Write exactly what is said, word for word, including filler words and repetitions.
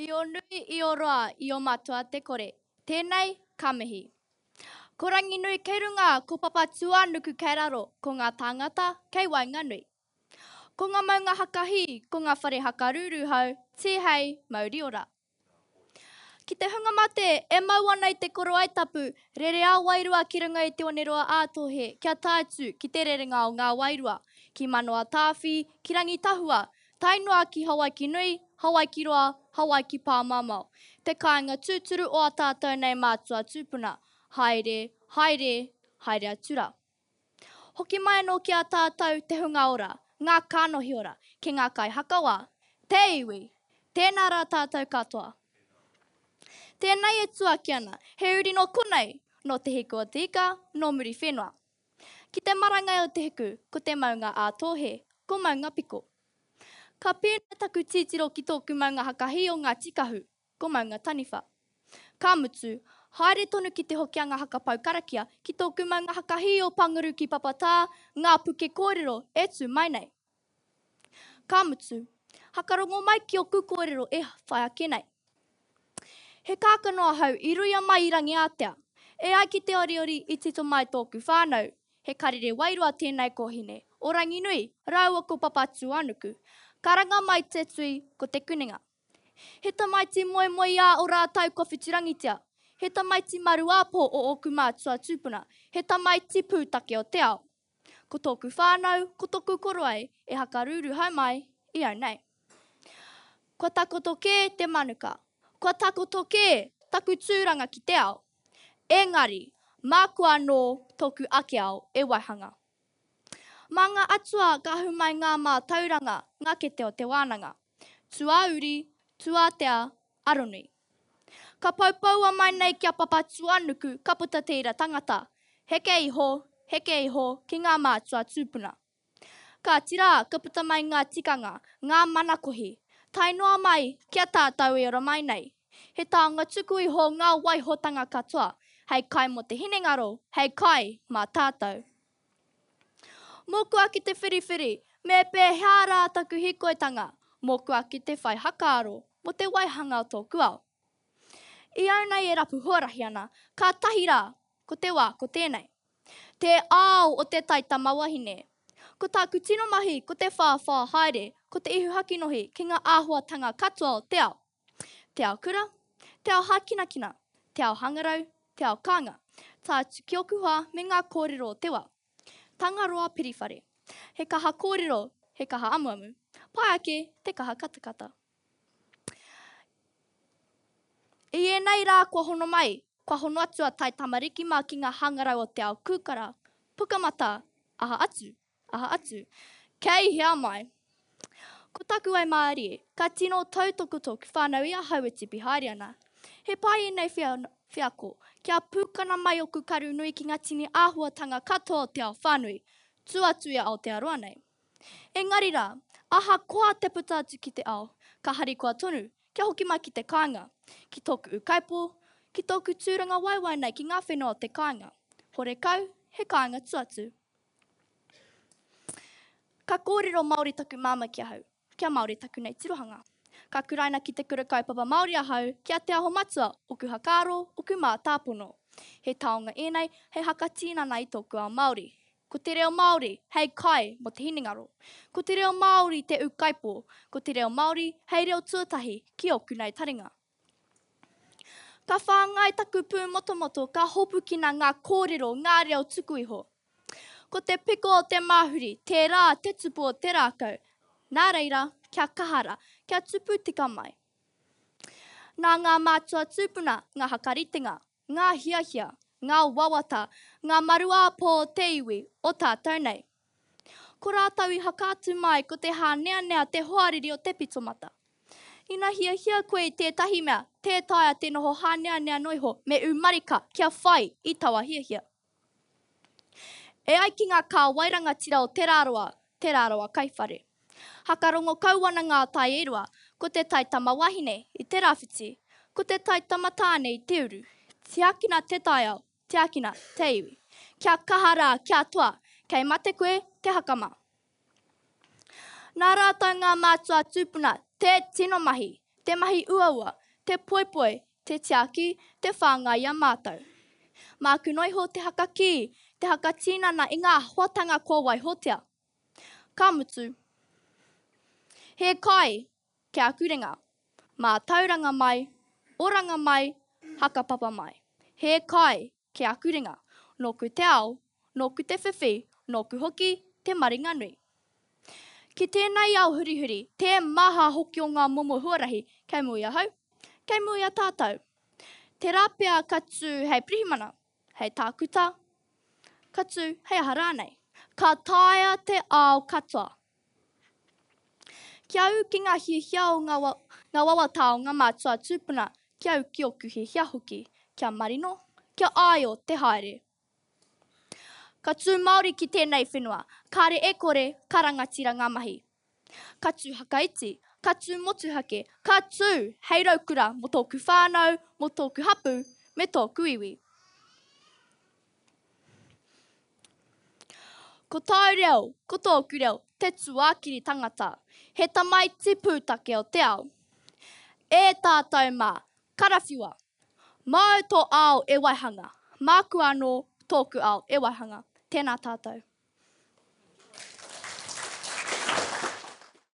I o nui, i o roa, i o matua te kore. Tēnei, ka mihi. Ko Ranginui kei runga, ko Papatūānuku kei raro, ko ngā tāngata kei waenganui. Ko ngā maunga hakahī, ko ngā whare hakarūrūhau, tīhei, mauri ora. Ki te hunga mate, e mau ana i te korowai tapu, rere ā-wairua ki runga i te oneroa ā-tohe, kia tae atu ki te rerenga o ngā wairua, ki Manoa-tāwhi, ki Rangitahua, tae noa ki Hawaiki nui, Hawaiki roa, Hawaiki pāmamao, te kāinga tūturu o ā tātou nei mātua tūpuna, haere, haere, haere atu rā. Hoki mai anō ki a tātou te hunga ora, ngā kānohi ora, ki ngā kaihakawā, te iwi, tēnā rā tātou katoa. Tēnei e tuaki ana, he uri nō konei, nō Te Hiku o Te Ika, nō Muriwhenua. Ki te marangai o Te Hiku, ko te maunga ā-Tōhe, ko Maungapiko. Ka pēnei taku titiro ki tōku maunga hakahī o Ngāti Kahu, ko Maunga Taniwha. Ka mutu, haere tonu ki te Hokianga Hakapau Karakia, ki tōku maunga hakahī o Panguru ki Papatā, ngā puke kōrero e tū mai nei. Ka mutu, hakarongo mai ki oku kōrero e whai ake nei. He kākano ahau i ruia mai i Rangiātea. E ai ki te oriori i tito mai tōku whānau, he karere wairua tēnei kōhine, o Ranginui, rāua ko Papatūānuku. Karanga mai te tui ko Te Kunenga. He tamaiti moemoeā o rātou kua whiturangitia. He tamaiti maruāpō o ōku mātua tūpuna. He tamaiti pūtake o te ao. Ko tōku whānau, ko tōku korowai e hakarūruhau mai i au nei. Kua takoto kē te manuka. Kua takoto kē taku tūranga ki te ao. Engari, māku anō tōku ake ao e waihanga. Mā ngā atua ka ahu mai ngā mātauranga, ngā kete o te wānanga. Tuauri, tuātea, aronui. Ka poupoua mai nei ki a Papatūānuku ka puta te ira tangata. Heke iho, heke iho ki ngā mātua tūpuna. Kāti rā, ka puta mai ngā tikanga, ngā manakohi, tae noa mai ki a tātou e ora mai nei. He taonga tuku iho ngā waihotanga katoa, hei kai mō te hinengaro, hei kai mā tātou. Mōku ake te whiriwhiri, me pēhea rā taku hīkoitanga, mōku ake te whai hakaaro mō te waihanga o tōku ao. I au nei e rapu huarahi ana, kātahi rā, ko te wā ko tēnei. Te ao o te taitamawahine. Ko tāku tino mahi ko te whāwhā haere, ko te ihu hakinohi ki ngā āhuatanga katoa o te ao. Te ao kura, te ao hākinakina, te ao hangarau, te ao kānga, tae atu ki oku hoa me ngā kōrero o te wā. Tangaroa Piriwhare. He kaha kōrero, he kaha amuamu. Pai ake te kaha katakata. I ēnei rā kua hono mai, kua hono atu a Tai Tamariki mā ki ngā hangarau o te ao kūkara, pukamata, aha atu, aha atu. Kei hea mai? Ko taku waimārie, ka tino tautoko tōku whānau i ahau e tipi haere ana. He pai ēnei wheako, kia pūkana mai oku karu nui ki ngā tini āhuatanga katoa o te ao whānui, tū atu i a Aotearoa nei. Engari rā, ahakoa te puta atu ki te ao, ka harikoa tonu, kia hoki mai ki te kāinga, ki tōku ūkaipō, ki tōku tūrangawaewae nei ki ngā whenua o te kāinga. Horekau, he kāinga tuatu. Ka kōrero Māori taku māmā ki ahau, kia Māori taku nei tirohanga. Ka kuraina ki te kura kaupapa Māori ahau, ki a Te Aho Matua, oku hakaaro, oku mātāpono. He taonga ēnei hei hakatinana i tōku ao Māori. Ko te reo Māori hei kai mō te hinengaro. Ko te reo Māori te ūkaipō. Ko te reo Māori hei reo tuatahi ki ōku nei taringa. Ka whāngai taku pūmotomoto, ka hopukina ngā kōrero, ngā reo tuku iho. Ko te piko o te māhuri, tērā te tupu o te rākau. Nā reira, kia kaha rā, kia tupu tika mai. Nā ngā mātua tūpuna ngā hakaritenga, ngā hiahia, ngā wawata, ngā maruāpō o te iwi o tātou nei. Ko rātou i hakaatu mai ko te hāneanea te hoariri o te pitomata. Ina hiahia koe i tētahi mea, tē taea te noho hāneanea noa iho me ū marika kia whai i taua hiahia. E ai ki ngā kāwai rangatira o Te Rarawa, Te Rarawa Kaiwhare. Hakarongo kau ana ngā tai e rua, ko te tai tamawahine i te rāwhiti, ko te tai tamatāne i te uru. Tiakina te taiao, tiakina te iwi. Kia kaha rā, kia toa, kei mate koe te hakama. Nā rātou ngā mātua tūpuna te tino mahi, te mahi uaua, te poipoi, te tiaki, te whāngai i a mātou. Māku noa iho te hakakī, te hakatinana i ngā hoatanga kua waihotia. Ka mutu, he kai ki aku ringa, mātauranga mai, oranga mai, hakapapa mai. He kai ki aku ringa, nōku te ao, nōku te whiwhi, nōku hoki te maringanui. Ki tēnei ao hurihuri, te maha hoki o ngā momo huarahi kei mua i ahau, kei mua i a tātou. Tērā pea ka tū hei pirihimana, hei tākuta, ka tū hei aha rānei. Ka taea te ao katoa. Kia ū ki ngā hiahia o ngā, ngā wawata o ngā mātua tūpuna, kia ū ki ōku hiahia hoki, kia marino, kia āio te haere. Ka tū Māori ki tēnei whenua, kāre e kore ka rangatira ngā mahi. Ka tū hakaiti, ka tū motuhake, ka tū hei raukura mō tōku whānau, mō tōku hapū, me tōku iwi. Ko tāu reo, ko tōku reo, te tuakiri tangata, he tamaiti pūtake o te ao. E tātou mā, karawhiua! Māu tō ao e waihanga, māku anō tōku ao e waihanga. Tēnā tātou.